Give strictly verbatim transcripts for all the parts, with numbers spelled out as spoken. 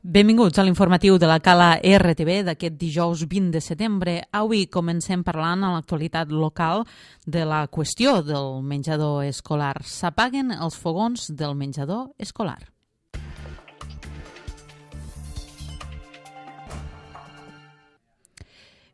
Benvinguts a l'informatiu de la Cala R T B d'aquest dijous vint de setembre. Avui comencem parlant a l'actualitat local de la qüestió del menjador escolar. S'apaguen els fogons del menjador escolar.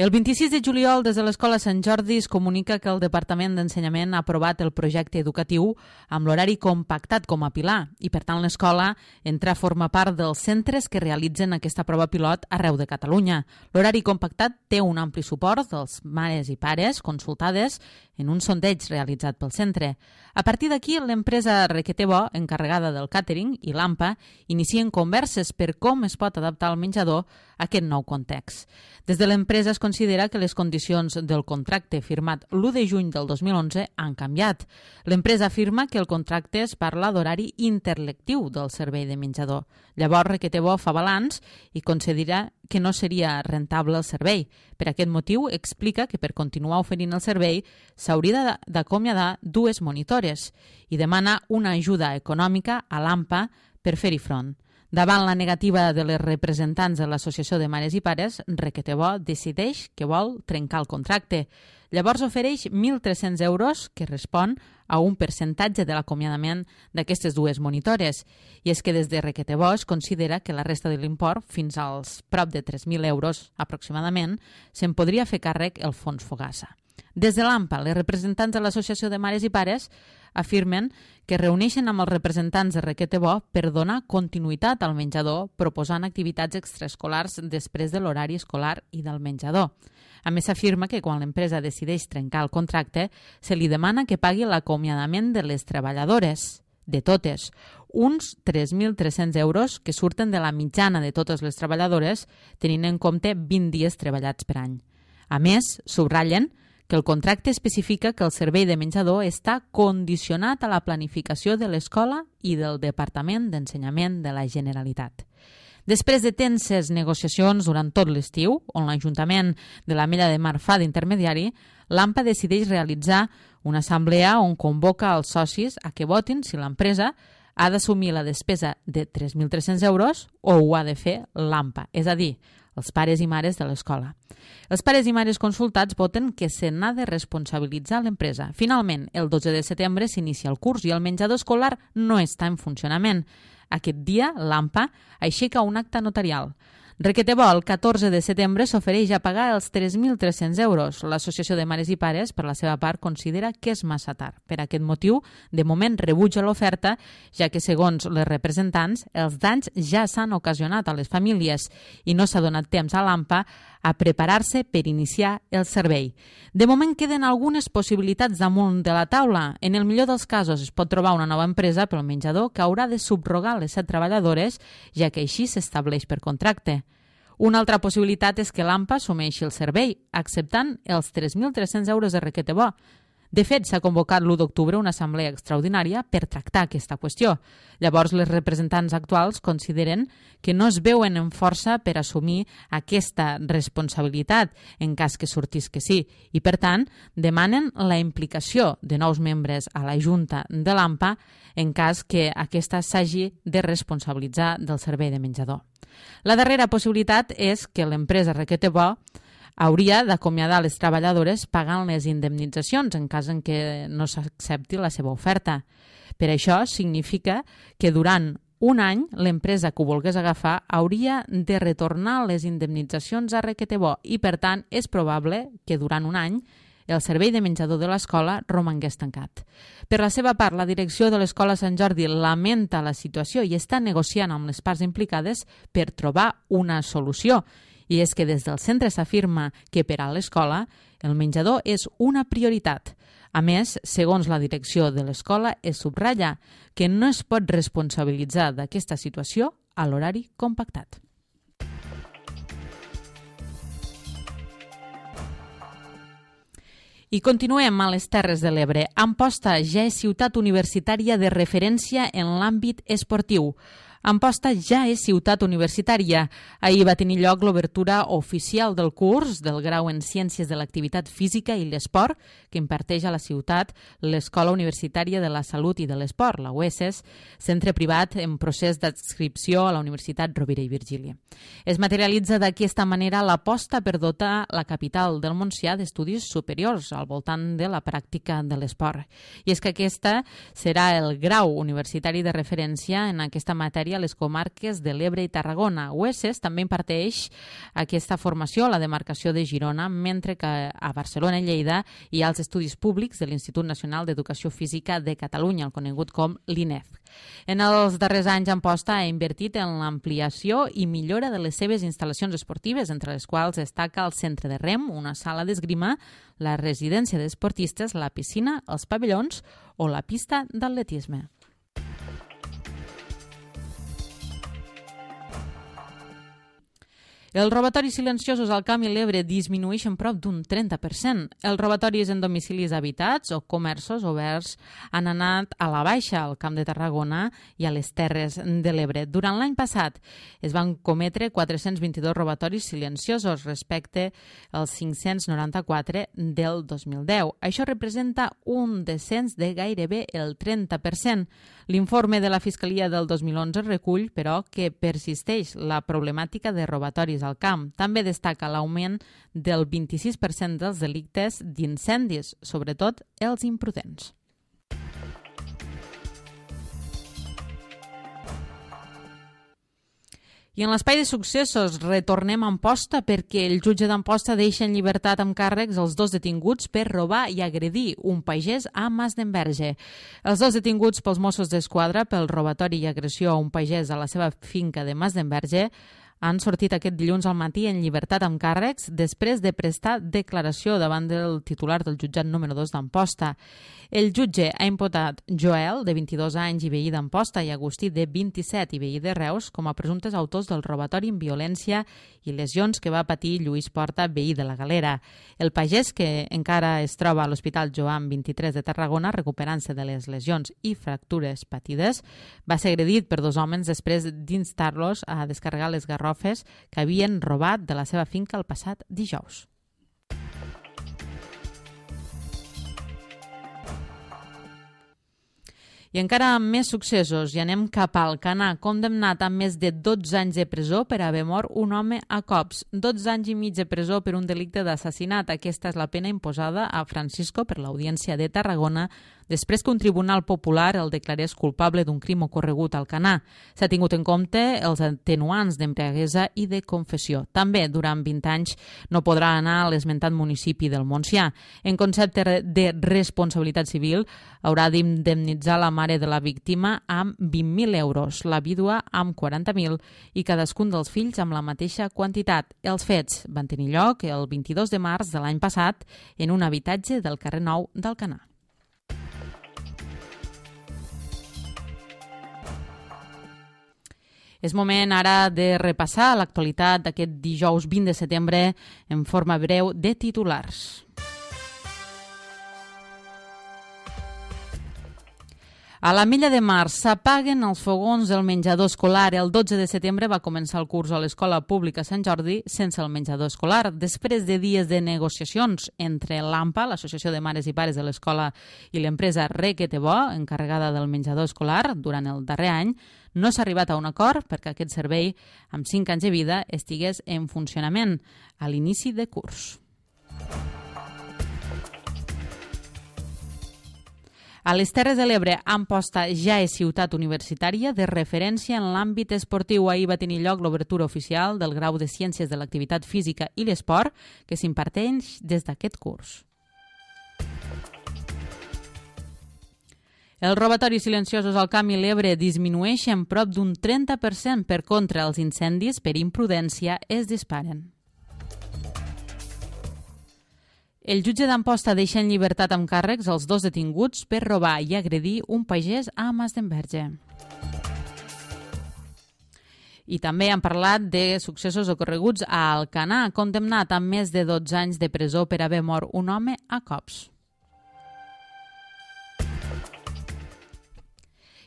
El vint-i-sis de juliol, des de l'Escola Sant Jordi, es comunica que el Departament d'Ensenyament ha aprovat el projecte educatiu amb l'horari compactat com a pilar i, per tant, l'escola entra a formar part dels centres que realitzen aquesta prova pilot arreu de Catalunya. L'horari compactat té un ampli suport dels mares i pares consultades en un sondeig realitzat pel centre. A partir d'aquí, l'empresa Requetebo, encarregada del càtering, i l'AMPA inicien converses per com es pot adaptar el menjador a aquest nou context. Des de l'empresa es considera que les condicions del contracte firmat l'u de juny del dos mil onze han canviat. L'empresa afirma que el contracte es parla d'horari interlectiu del servei de menjador. Llavors, Requetebo fa balanç i considera que no seria rentable el servei. Per aquest motiu, explica que per continuar oferint el servei s'hauria d'acomiadar dues monitores i demana una ajuda econòmica a l'AMPA per fer-hi front. Davant la negativa de les representants de l'Associació de Mares i Pares, Requetebo decideix que vol trencar el contracte. Llavors ofereix mil tres-cents euros, que respon a un percentatge de l'acomiadament d'aquestes dues monitores. I és que des de Requetebo es considera que la resta de l'import, fins als prop de tres mil euros aproximadament, se'n podria fer càrrec el fons Fogassa. Des de l'AMPA, les representants de l'Associació de Mares i Pares afirmen que reuneixen amb els representants de Requetebo per donar continuïtat al menjador proposant activitats extraescolars després de l'horari escolar i del menjador. A més, s'afirma que quan l'empresa decideix trencar el contracte, se li demana que pagui l'acomiadament de les treballadores, de totes, uns tres mil tres-cents euros que surten de la mitjana de totes les treballadores, tenint en compte vint dies treballats per any. A més, subratllen que el contracte especifica que el servei de menjador està condicionat a la planificació de l'escola i del Departament d'Ensenyament de la Generalitat. Després de tenses negociacions durant tot l'estiu, on l'Ajuntament de l'Ametlla de Mar fa d'intermediari, l'AMPA decideix realitzar una assemblea on convoca els socis a que votin si l'empresa ha d'assumir la despesa de tres mil tres-cents euros o ho ha de fer l'AMPA, és a dir, els pares i mares de l'escola. Els pares i mares consultats voten que se n'ha de responsabilitzar l'empresa. Finalment, el dotze de setembre s'inicia el curs i el menjador escolar no està en funcionament. Aquest dia, l'AMPA aixeca un acte notarial. Requetebo, el catorze de setembre, s'ofereix a pagar els tres mil tres-cents euros. L'Associació de Mares i Pares, per la seva part, considera que és massa tard. Per aquest motiu, de moment rebutja l'oferta, ja que, segons les representants, els danys ja s'han ocasionat a les famílies i no s'ha donat temps a l'AMPA a preparar-se per iniciar el servei. De moment queden algunes possibilitats damunt de la taula. En el millor dels casos es pot trobar una nova empresa pel menjador que haurà de subrogar les set treballadores, ja que així s'estableix per contracte. Una altra possibilitat és que l'AMPA assumeixi el servei, acceptant els tres mil tres-cents euros de Requetebo. De fet, s'ha convocat l'u d'octubre una assemblea extraordinària per tractar aquesta qüestió. Llavors, les representants actuals consideren que no es veuen en força per assumir aquesta responsabilitat en cas que sortís que sí i, per tant, demanen la implicació de nous membres a la Junta de l'AMPA en cas que aquesta s'hagi de responsabilitzar del servei de menjador. La darrera possibilitat és que l'empresa Requetebo hauria d'acomiadar les treballadores pagant les indemnitzacions en cas en què no s'accepti la seva oferta. Per això significa que durant un any l'empresa que ho volgués agafar hauria de retornar les indemnitzacions a Requetebo i, per tant, és probable que durant un any el servei de menjador de l'escola romangués tancat. Per la seva part, la direcció de l'Escola Sant Jordi lamenta la situació i està negociant amb les parts implicades per trobar una solució. I és que des del centre s'afirma que per a l'escola el menjador és una prioritat. A més, segons la direcció de l'escola, es subratlla que no es pot responsabilitzar d'aquesta situació a l'horari compactat. I continuem a les Terres de l'Ebre. Amposta ja és ciutat universitària de referència en l'àmbit esportiu. Amposta ja és ciutat universitària. Ahir va tenir lloc l'obertura oficial del curs del grau en Ciències de l'Activitat Física i l'Esport que imparteix a la ciutat l'Escola Universitària de la Salut i de l'Esport, la U E S S, centre privat en procés d'adscripció a la Universitat Rovira i Virgili. Es materialitza d'aquesta manera l'aposta per dotar la capital del Montsià d'estudis superiors al voltant de la pràctica de l'esport. I és que aquesta serà el grau universitari de referència en aquesta matèria a les comarques de l'Ebre i Tarragona. U E S S també imparteix aquesta formació a la demarcació de Girona, mentre que a Barcelona i Lleida hi ha els estudis públics de l'Institut Nacional d'Educació Física de Catalunya, el conegut com l'I N E F. En els darrers anys, Amposta ha invertit en l'ampliació i millora de les seves instal·lacions esportives, entre les quals destaca el centre de rem, una sala d'esgrima, la residència d'esportistes, la piscina, els pavellons o la pista d'atletisme. Els robatoris silenciosos al Camp i l'Ebre disminueixen prop d'un trenta per cent. Els robatoris en domicilis habitats o comerços oberts han anat a la baixa al Camp de Tarragona i a les Terres de l'Ebre. Durant l'any passat es van cometre quatre-cents vint-i-dos robatoris silenciosos respecte als cinc-cents noranta-quatre del dos mil deu. Això representa un descens de gairebé el trenta per cent. L'informe de la Fiscalia del dos mil onze recull, però, que persisteix la problemàtica de robatoris al camp. També destaca l'augment del vint-i-sis per cent dels delictes d'incendis, sobretot els imprudents. I en l'espai de successos retornem a Amposta perquè el jutge d'Amposta deixa en llibertat amb càrrecs els dos detinguts per robar i agredir un pagès a Masdenverge. Els dos detinguts pels Mossos d'Esquadra pel robatori i agressió a un pagès a la seva finca de Masdenverge han sortit aquest dilluns al matí en llibertat amb càrrecs després de prestar declaració davant del titular del jutjat número dos d'Amposta. El jutge ha imputat Joel, de vint-i-dos anys i veí d'Amposta, i Agustí, de vint-i-set i veí de Reus, com a presumptes autors del robatori amb violència i lesions que va patir Lluís Porta, veí de la Galera. El pagès, que encara es troba a l'Hospital Joan vint-i-tres de Tarragona, recuperant-se de les lesions i fractures patides, va ser agredit per dos homes després d'instar-los a descarregar les garrofes que havien robat de la seva finca el passat dijous. I encara amb més successos, i anem cap al Alcanar, condemnat a més de dotze anys de presó per haver mort un home a cops. dotze anys i mig de presó per un delicte d'assassinat. Aquesta és la pena imposada a Francisco per l'Audiència de Tarragona després que un tribunal popular el declarés culpable d'un crim ocorregut al Alcanar. S'ha tingut en compte els atenuants d'embriaguesa i de confessió. També, durant vint anys, no podrà anar a l'esmentat municipi del Montsià. En concepte de responsabilitat civil, haurà d'indemnitzar la mare de la víctima amb vint mil euros, la vídua amb quaranta mil i cadascun dels fills amb la mateixa quantitat. Els fets van tenir lloc el vint-i-dos de març de l'any passat en un habitatge del carrer Nou d'Alcanar. És moment ara de repassar l'actualitat d'aquest dijous vint de setembre en forma breu de titulars. A l'Ametlla de Mar s'apaguen els fogons del menjador escolar. El dotze de setembre va començar el curs a l'Escola Pública Sant Jordi sense el menjador escolar. Després de dies de negociacions entre l'AMPA, l'Associació de Mares i Pares de l'Escola, i l'empresa Requetebó, encarregada del menjador escolar, durant el darrer any, no s'ha arribat a un acord perquè aquest servei, amb cinc anys de vida, estigués en funcionament a l'inici de curs. A les Terres de l'Ebre, Amposta ja és ciutat universitària de referència en l'àmbit esportiu. Ahir va tenir lloc l'obertura oficial del grau de Ciències de l'Activitat Física i l'Esport que s'imparteix des d'aquest curs. Els robatoris silenciosos al Camp i l'Ebre disminueixen prop d'un trenta per cent. Per contra, els incendis per imprudència es disparen. El jutge d'Amposta deixa en llibertat amb càrrecs els dos detinguts per robar i agredir un pagès a Masdenverge. I també han parlat de successos ocorreguts a Alcanar, condemnat amb més de dotze anys de presó per haver mort un home a cops.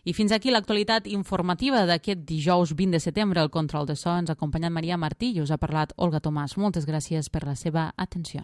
I fins aquí l'actualitat informativa d'aquest dijous vint de setembre. El control de so ens ha acompanyat Maria Martí i us ha parlat Olga Tomàs. Moltes gràcies per la seva atenció.